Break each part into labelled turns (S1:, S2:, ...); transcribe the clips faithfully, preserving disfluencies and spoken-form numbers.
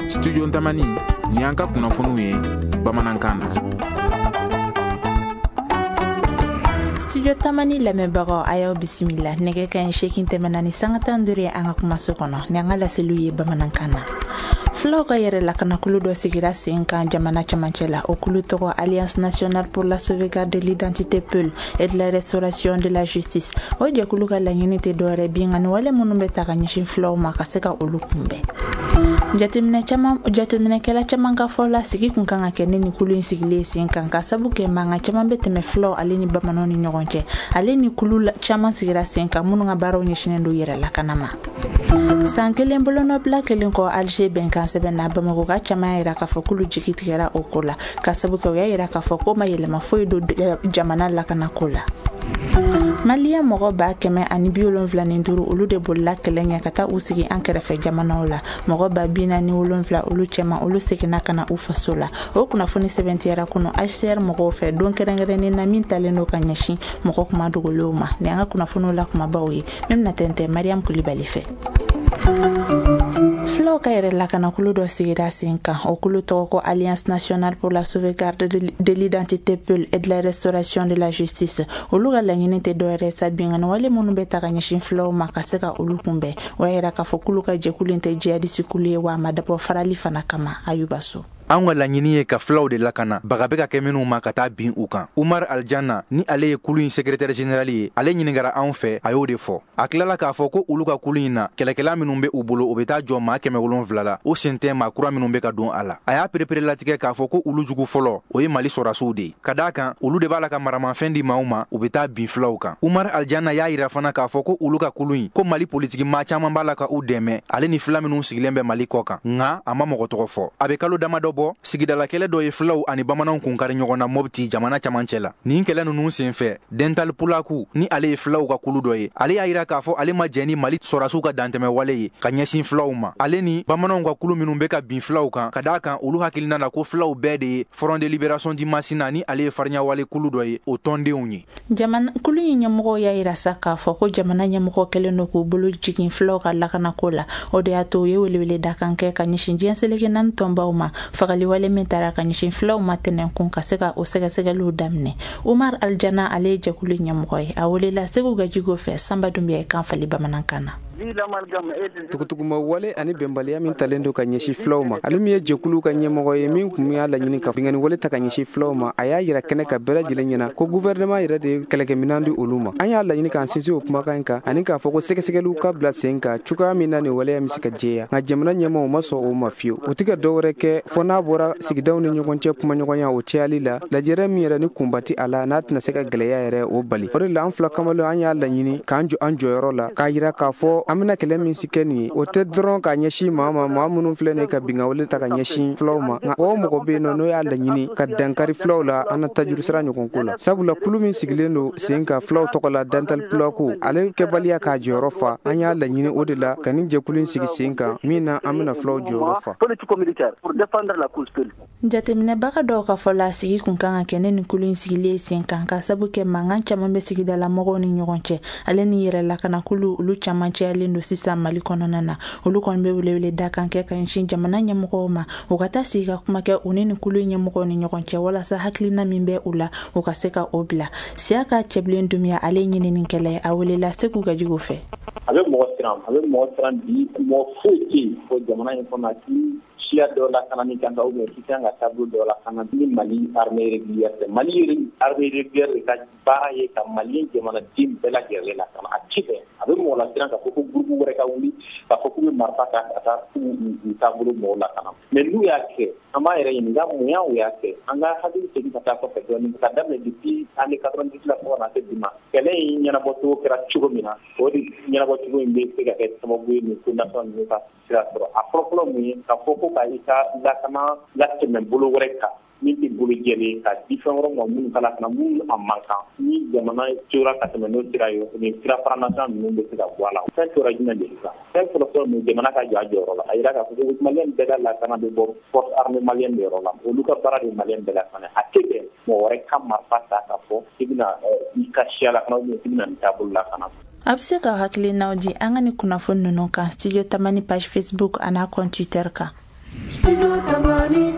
S1: Studio Tamani, ni an ka kunnafoniw ye bamanankan na.
S2: Studio Tamani lamɛnbagaw, a y'aw bisimila. Nɛgɛ ka ɲi seegin tɛmɛna ni sanga tan duuru ye an ka kumaso kɔnɔ ni an ka laseliw ye bamanankan na. Fulaw ka yɛrɛ lakanakulu dɔ sigira sen kan jamana camancɛ la. O kulu tɔgɔ Alliance nationale pour la sauvegarde de l'identité peul et de la restauration de la justice. O jɛkulu ka laɲini tɛ dɔwɛrɛ, binkanni wale minnu bɛ ta ka ɲɛsin fulaw ma, ka se ka olu kunbɛn. Jateminɛ caman, jateminɛkɛla caman ka fɔ la, sigi kun kan ka kɛ ne ni kulu in sigilen sen kan, ka sabu kɛ mankan caman bɛ tɛmɛ fulaw ale ni bamananw ni ɲɔgɔn cɛ. Ale ni kulu caman sigira sen kan minnu ka baaraw ɲɛsinnen don yɛrɛ lakana ma. San kelen bolonɔbila kelen kɔ Alger bɛnkan sɛbɛn na, Bamakɔ ka caman yira k'a fɔ k'olu jigi tigɛra o ko la, ka sabu kɛ u y'a yira k'a fɔ k'o ma yɛlɛma foyi don jamana lakanako la. Maliyɛn mɔgɔ ba kɛmɛ ani bi wolonfila ni duuru, olu de bolila kɛlɛ ɲɛ ka taa u sigi an kɛrɛfɛ jamanaw la. Mɔgɔ ba bi naani wolonfila olu cɛma, olu seginna ka na u faso la. O kunnafoni sɛbɛntiyara kunu H C R mɔgɔw fɛ, don kɛrɛnkɛrɛnnen na min talen don ka ɲɛsin mɔgɔ kuma dogolenw ma. Ni an ka kunnafoniw la kumabaw ye min bɛna tɛntɛn Mariam Kulibali fɛ. Fulaw ka yɛrɛ lakanakulu dɔ sigira sen kan. O kulu tɔgɔ ko Alliance nationale pour la sauvegarde de l'identité peul et de la restauration de la justice. Olu ka laɲini tɛ dɔwɛrɛ sa, binkanni wale minnu bɛ ta ka ɲɛsin fulaw ma, ka se ka olu kunbɛn. O y'a yira k'a fɔ k'olu ka jɛkulu in tɛ jihadisi kulu ye, wa a ma dabɔ farali fana kama. Ayuba So.
S3: An ka laɲini ye ka fulaw de lakana, baga bɛ ka kɛ minnu ma ka taa bin u kan. Umar Aljanna ni ale ye kulu in secrétaire général ye, ale ɲiningara anw fɛ, a y'o de fɔ. A tilala k'a fɔ ko olu ka kulu in na, kɛlɛkɛla minnu bɛ u bolo, o bɛ taa jɔ maa kɛmɛ wolonfila la. O sen tɛ maa kura minnu bɛ ka don a la. A y'a perepere latigɛ k'a fɔ ko olu jugu fɔlɔ, o ye Mali sɔrɔdasiw de ye, ka d'a kan olu de b'a la ka maramafɛn di maaw ma, u bɛ taa bin fulaw kan. Umar Aljanna y'a yira fana k'a fɔ ko olu ka kulu in, ko Mali politiki maa caman b'a la ka u dɛmɛ, ale ni fila minnu sigilen bɛ Mali kɔ kan, nka a ma mɔgɔ tɔgɔ fɔ. A bɛ kalo damadɔ bɔ, sigidala kɛlɛ dɔ ye fulaw ani bamananw kun kari ɲɔgɔn na Mɔpti jamana camancɛ la. Nin kɛlɛ ninnu senfɛ, Dental Pulaku ni ale ye fulaw ka kulu dɔ ye, ale y'a yira k'a fɔ ale ma jɛn ni Mali sɔrɔdasiw ka dantɛmɛ wale ye ka ɲɛsin fulaw ma, ale ni bamananw ka kulu minnu bɛ ka bin fulaw kan, ka d'a kan olu hakilina na ko fulaw bɛɛ de ye Front de libération du Masina, ni ale ye fariɲawale kulu dɔ ye, o tɔndenw ye.
S2: Jamana kulu in ɲɛmɔgɔw y'a yira sa k'a fɔ ko jamana ɲɛmɔgɔ kɛlen don k'u bolo jigin fulaw ka lakanako la. O de y'a to u ye welewele dakan kɛ ka ɲɛsin diɲɛ seleke naani tɔnbaw ma, fagaliwale min taara ka ɲɛsin fulaw ma tɛnɛnkun, ka se ka o sɛgɛsɛgɛliw daminɛ. Umar Aljana, ale ye jɛkulu ɲɛmɔgɔ ye, a welela Segu Gajigo fɛ. Sanba Dunbiya ye kan fali bamanankan na.
S4: Tugutuguma wale ani bɛnbaliya min talen don ka ɲɛsin filaw ma, ale min ye jɛkulu ka ɲɛmɔgɔ ye min kun y'a laɲini ka binkanni wale ta ka ɲɛsin filaw ma, a y'a yira kɛnɛ ka bɛɛ lajɛlen ɲɛna ko gouvernement yɛrɛ de ye kɛlɛkɛminan di olu ma. An y'a laɲini k'an sinsin o kumakan in kan ani k'a fɔ ko sɛgɛsɛgɛliw ka bila sen kan cogoya min na nin waleya bɛ se ka jɛya, nka jamana ɲɛmɔgɔw ma sɔn o ma fiyewu. U tɛ ka dɔwɛrɛ kɛ fɔ n'a bɔra sigidaw ni ɲɔgɔn cɛ kumaɲɔgɔnya o cayali la, lajɛrɛ min yɛrɛ ni kunba ti a la, n'a tɛna se ka gɛlɛya yɛrɛ o bali. O de la, an fila kamalen, an y'a laɲini k'an jɔ an jɔyɔrɔ la, k'a yira k'a fɔ an bɛna kɛlɛ min si kɛ nin ye, o tɛ dɔrɔn k'a ɲɛsin maa ma, maa minnu filɛ nin ye ka binkanni wale ta ka ɲɛsin filaw ma, nka o mɔgɔ bɛ yen nɔ n'o y'a laɲini ka dankari filaw la an na tajuru sira ɲɔgɔn ko la. Sabula kulu min sigilen don sen kan filaw tɔgɔ la, Dantal Pulako, ale kɛbaliya k'a jɔyɔrɔ fa, an y'a laɲini o de la ka nin jɛkulu in sigi sen kan min na an bɛna filaw jɔyɔrɔ fa.
S2: Jateminɛbaga dɔw ka fɔ la, sigi kun kan ka kɛ ne ni kulu in sigilen sen kan, ka sabu kɛ mankan caman bɛ sigidala mɔgɔw ni ɲɔgɔn cɛ, ale ni yɛrɛ lakanakulu olu caman cayalen don sisan Mali kɔnɔna na. Olu kɔni bɛ welewele dakan kɛ ka ɲɛsin jamana ɲɛmɔgɔw ma, u ka taa sigi ka kuma kɛ u ni nin kulu ɲɛmɔgɔw ni ɲɔgɔn cɛ, walasa hakilina min bɛ u la, u ka se ka o bila. Siya ka Cɛbilen Dumiya, ale ɲininikɛla ye, a welela Segu Gajigo fɛ.
S5: A bɛ mɔgɔ siran, a bɛ mɔgɔ siran bi. Mɔgɔ foyi tɛ yen fo jamana in kɔnɔ k'i siya dɔ lakanani kan ou bien k'i kan ka taabolo dɔ lakana ni Mali armée régulière tɛ. Mali armée régulière de ka baara ye ka Mali jamanaden bɛɛ lajɛlen lakana. A ti bɛn, a bɛ mɔgɔ lasiran k'a fɔ ko groupe wɛrɛ ka wuli k'a fɔ k'u bɛ marifa ta ka taa k'u u taabolo mɔgɔw lakana. Mais n'u y'a kɛ, an b'a yɛrɛ ɲininka mun y'a u y'a kɛ. An ka hakili segin ka taa kɔfɛ dɔɔnin, ka daminɛ depuis année quatre-vingt-dix la fo ka na se bi ma, kɛlɛ in ɲɛnabɔcogo kɛra cogo min na, o de ɲɛnabɔcogo in bɛ se ka kɛ sababu ye nin ko nasɔn ninnu ka sira sɔrɔ. A fɔlɔ-fɔlɔ mun ye? Ka fɔ ko ka i ka lakana latɛmɛ bolo wɛrɛ kan min tɛ bolo jɛlen, ka di fɛn wɛrɛ ma minnu ka lakana, minnu a man kan. Ni jamana tora ka tɛmɛ n'o sira ye, nin sira fara ninnu bɛ se ka bɔ a la. Fɛn tora jumɛn de sisan? Fɛn fɔlɔ-fɔlɔ mun? Jamana ka jɔ a jɔyɔrɔ la, a yira k'a fɔ ko Maliyɛn bɛɛ ka lakana bɛ bɔ force armée malienne de yɔrɔ la. Olu ka baara de ye Maliyɛn bɛɛ lakana. A tɛ bɛn mɔgɔ wɛrɛ ka marifa ta k'a fɔ k'i bɛna i ka siya lakana ou bien k'i bɛna nin taabolo lakana.
S2: A bɛ se ka hakilinaw di an ka ni kunnafoni ninnu kan Studio Tamani page Facebook an'a compte Twitter kan.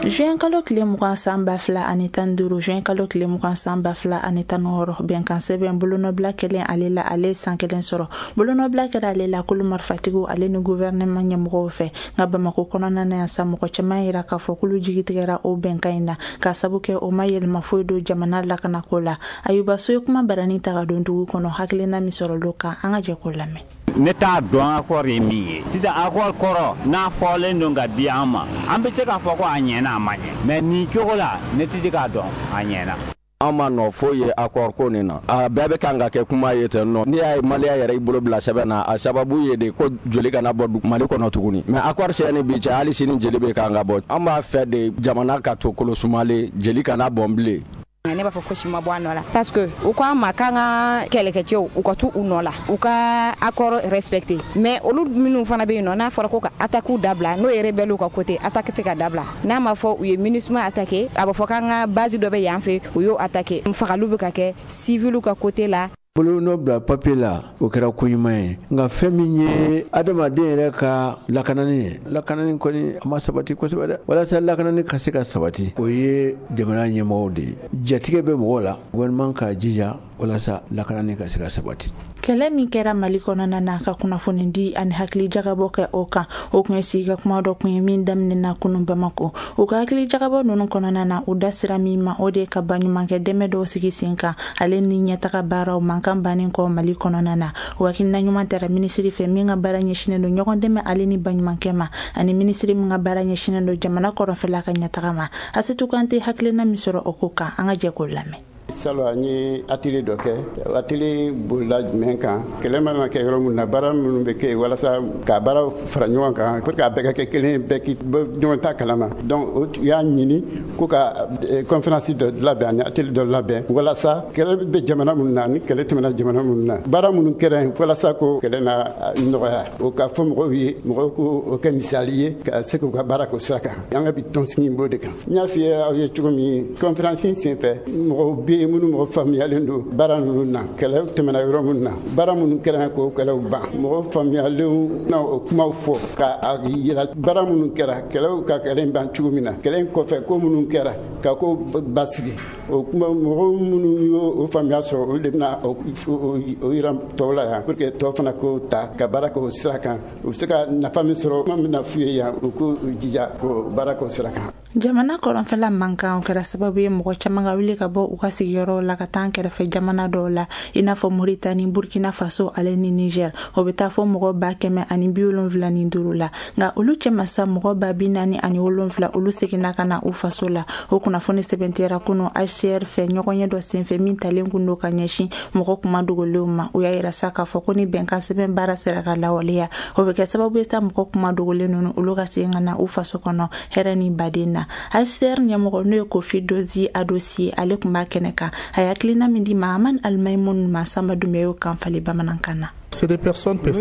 S2: Juin kalo tile mugan san ba fila ani tan duuru, juin kalo tile mugan san ba fila ani tan wɔɔrɔ, bɛnkan sɛbɛn bolonɔbila kɛlen ale la, ale san kelen sɔrɔ. Bolonɔbila kɛra ale la kulu marifatigiw ale ni gouvernement ɲɛmɔgɔw fɛ. Nka Bamakɔ kɔnɔna na yan sa, mɔgɔ caman yira k'a fɔ k'olu jigi tigɛra o bɛnkan in na, k'a sabu kɛ o ma yɛlɛma foyi don jamana lakanako la. Ayuba So ye kuma barani ta ka don dugu kɔnɔ, hakilina min sɔrɔla kan, an ka jɛ k'o lamɛn.
S6: Ne t'a dɔn accord ye min ye sisan. Accord kɔrɔ n'a fɔlen don ka di an ma, an bɛ se k'a fɔ ko a ɲɛna, a ma ɲɛ, mais nin cogo la, ne tɛ se k'a dɔn a ɲɛna.
S7: An ma nɔ foyi ye accord ko nin na. A bɛɛ bɛ kan ka kɛ kuma ye ten nɔ. N'i y'a ye Maliya yɛrɛ i bolo bila sɛbɛn na, a sababu ye de ko joli kana bɔ Mali kɔnɔ tuguni. Mais accord sɛbɛnni bi cɛ, hali sini jeli bɛ kan ka bɔ. An b'a fɛ de jamana ka to kolo sumalen, jeli kana bɔn bilen.
S8: Ne b'a fɔ fosi ma bɔ a nɔ la, parce que u ko an ma k'an ka kɛlɛkɛcɛw u ka t'u u nɔ la, u ka accord respecter. Mais olu minnu fana bɛ yen nɔ, n'a fɔra ko ka attaque dabila, n'o ye rebelle ka côté, attaque tɛ ka dabila. N'a ma fɔ u ye MINUSMA attaquer, a bɛ fɔ k'an ka base dɔ bɛ yan fɛ, u y'o attaquer. Fagaliw bɛ ka kɛ civil ka côté la.
S9: Bolonɔ bila papier la, o kɛra ko ɲuman ye. Nka fɛn min ye adamaden yɛrɛ ka lakanani ye, lakanani kɔni a ma sabati kosɛbɛ dɛ. Walasa lakanani ka se ka sabati, o ye jamana ɲɛmɔgɔw de ye. Jatigɛ bɛ mɔgɔw la, gouvernement ka jija walasa lakanani ka se ka sabati.
S2: Kɛlɛ min kɛra Mali kɔnɔna na, ka kunnafoni di ani hakili jagabɔ kɛ o kan, o kun ye sigi ka kuma dɔ kun ye min daminɛna kunun Bamako. U ka hakili jagabɔ ninnu kɔnɔna na, u da sira min ma, o de ye ka baɲumankɛ dɛmɛ dɔw sigi sen kan ale ni ɲɛtaga baaraw mankan bannen kɔ Mali kɔnɔna na. O hakilina ɲuman tara minisiri fɛ min ka baara ɲɛsinnen don ɲɔgɔn dɛmɛ ale ni baɲumankɛ ma, ani minisiri min ka baara ɲɛsinnen don jamana kɔrɔnfɛla ka ɲɛtaga ma. Asetu Kante hakilina min sɔrɔ o ko kan, an ka jɛ k'o lamɛn.
S10: Salon, an ye atelier dɔ kɛ. Atelier bolila jumɛn kan? Kɛlɛ mana kɛ yɔrɔ min na, baara minnu bɛ kɛ walasa ka baara fara ɲɔgɔn kan pour que a bɛɛ ka kɛ kelen, bɛɛ k'i bɔ ɲɔgɔn ta kalama. Donc o y'a ɲini ko ka conférence dɔ labɛn ani atelier dɔ labɛn walasa kɛlɛ bɛ jamana minnu na, ni kɛlɛ tɛmɛna jamana minnu na, baara minnu kɛra yen walasa ko kɛlɛ na nɔgɔya, o ka fɔ mɔgɔw ye, mɔgɔw ko o kɛ misali ye ka se k'u ka baara k'o sira kan. An ka bi tɔnsigi b'o de kan. N y'a f'i ye aw ye cogo min, conférence in senfɛ, mɔgɔw bɛ yen minnu mɔgɔ faamuyalen don baara ninnu na, kɛlɛ tɛmɛna yɔrɔ minnu na, baara minnu kɛra k'o kɛlɛw ban, mɔgɔ faamuyalenw na o kumaw fɔ ka yira baara minnu kɛra, kɛlɛw ka kɛlɛ in ban cogo min na, kɛlɛ in kɔfɛ ko minnu kɛra ka ko basigi. O kuma, mɔgɔ minnu y'o faamuya sɔrɔ, olu de bɛna o yira tɔw la yan pour que tɔw fana k'o ta ka baara k'o sira kan. U bɛ se ka nafa min sɔrɔ, kuma min na f'u ye yan, u k'u jija k'o baara k'o sira kan.
S2: Jamana kɔrɔnfɛla mankan kɛra sababu ye mɔgɔ caman ka wuli ka bɔ u ka sigiyɔrɔw la ka taa an kɛrɛfɛ jamana dɔw la, i n'a fɔ Moritani, Burkina Faso ale ni Niger. O bɛ taa fɔ mɔgɔ ba kɛmɛ ani bi wolonfila ni duuru la. Nka olu cɛma sa, mɔgɔ ba bi naani ani wolonfila, olu seginna ka na u faso la. O kunnafoni sɛbɛntiyara kunu H C R fɛ ɲɔgɔnye dɔ senfɛ min talen kun don ka ɲɛsin mɔgɔ kuma dogolenw ma. U y'a yira sa k'a fɔ ko ni bɛnkan sɛbɛn baara sera ka lawaleya, o bɛ kɛ sababu ye sa mɔgɔ kuma dogolen ninnu, olu ka segin ka na u faso kɔnɔ hɛrɛ ni baden na. H C R ɲɛmɔgɔ, n'o ye Kofi Dozi Adosi, ale tun b'a kɛnɛ kan. A ye hakilina min di Mahaman Alimayimun ma, Sanba Dunbiya y'o kan falen bamanankan na.
S4: Ninnu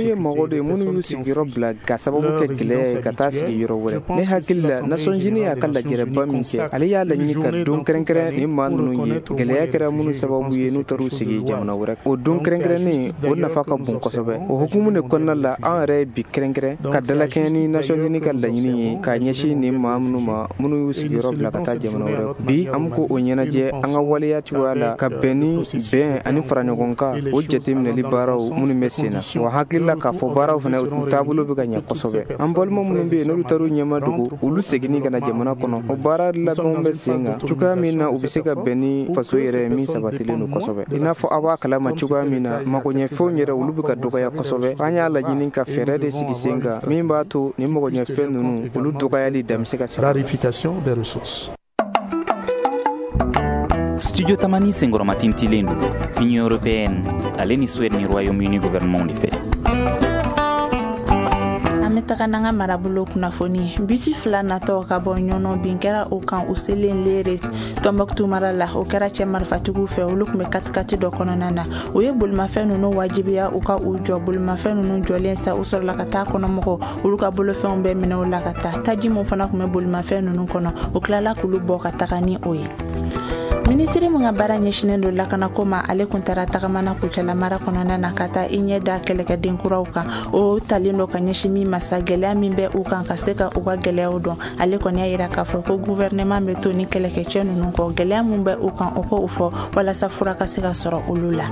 S4: ye mɔgɔ de ye minnu y'u sigiyɔrɔ bila ka sababu kɛ gɛlɛya ye ka taa sigi yɔrɔ wɛrɛ. Ne hakili la, Nations Unies y'a ka lajɛrɛba min kɛ, ale y'a laɲini ka don kɛrɛnkɛrɛn ni maa ninnu ye, gɛlɛya kɛra minnu sababu ye n'u taar'u sigi jamana wɛrɛ. O don kɛrɛnkɛrɛnnen o nafa ka bon kosɛbɛ. O hukumu de kɔnɔna la, an yɛrɛ ye bi kɛrɛnkɛrɛn ka dalakɛɲɛ ni Nations Unies ka laɲini ye k'a ɲɛsin nin maa minnu ma, minnu y'u sigiyɔrɔ bila ka taa jamana wɛrɛ. Bi an bɛ k'o ɲɛnajɛ an ka waleya cogoya la ka bɛn ni bɛn ani faraɲɔgɔnkan, o jateminɛli baaraw minnu bɛ sen na. Wa hakili la k'a fɔ baaraw fana u taabolo bɛ ka ɲɛ kosɛbɛ. An balima minnu bɛ yen n'olu taar'u ɲɛma dogo, olu seginni ka na jamana kɔnɔ, o baara labɛnw bɛ sen kan cogoya min na u bɛ se ka bɛn ni faso yɛrɛ min sabatilen don kosɛbɛ. I n'a fɔ aw b'a kalama cogoya min na, magoɲɛfɛnw yɛrɛ, olu bɛ ka dɔgɔya kosɛbɛ. An y'a laɲini ka fɛɛrɛ de sigi sen kan min b'a to ni magoɲɛfɛn ninnu, olu dɔgɔyali dan bɛ se ka sigi.
S11: Studio Tamani senkɔrɔmatintilen don Union européenne ale ni Suède ni Royaume-Uni gouvernement de fɛ.
S2: An bɛ taga n'an ka marabolo kunnafoni. Bisi fila natɔ ka bɔ Ɲɔnɔ, bin kɛra o kan u selen Lere, Tɔnbɔkutu mara la. O kɛra cɛ marifatigiw fɛ, olu tun bɛ katikati dɔ kɔnɔna na. U ye bolimafɛn ninnu wajibiya u ka u jɔ. Bolimafɛn ninnu jɔlen sa, u sɔrɔla ka taa kɔnɔmɔgɔw, olu ka bolofɛnw bɛɛ minɛ u la ka taa. Taji min fana tun bɛ bolimafɛn ninnu kɔnɔ, o tilala k'olu bɔ ka taga ni o ye. Minisiri min ka baara ɲɛsinnen don lakanako ma, ale kun taara tagamana Kucala mara kɔnɔna na ka taa i ɲɛ da kɛlɛkɛden kuraw kan. O talen don ka ɲɛsin min ma sa, gɛlɛya min bɛ u kan, ka se ka u ka gɛlɛyaw dɔn. Ale kɔni y'a yira k'a fɔ ko gouvernement bɛ to ni kɛlɛkɛcɛ ninnu kɔ, gɛlɛya min bɛ u kan, o k'o fɔ walasa fura ka se ka sɔrɔ olu la.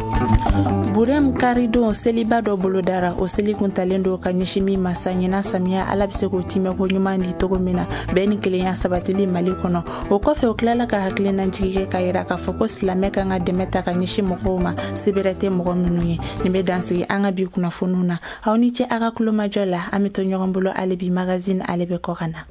S2: Burem karidon seliba dɔ bolodara. O seli kun talen don ka ɲɛsin min ma sa, ɲinan samiya Ala bɛ se k'o timɛko ɲuman di cogo min na, bɛn ni kelenya sabatili Mali kɔnɔ. O kɔfɛ, o tilala ka hakilinajigi kɛ ka yira k'a fɔ ko silamɛ kan ka dɛmɛ ta ka ɲɛsin mɔgɔw ma, sebɛrɛ tɛ mɔgɔ minnu ye. Nin bɛ dansigi an ka bi kunnafoniw na. Aw ni ce a ka kulomajɔ la. An bɛ to ɲɔgɔn bolo hali bi. Magazine, ale bɛ kɔ ka na.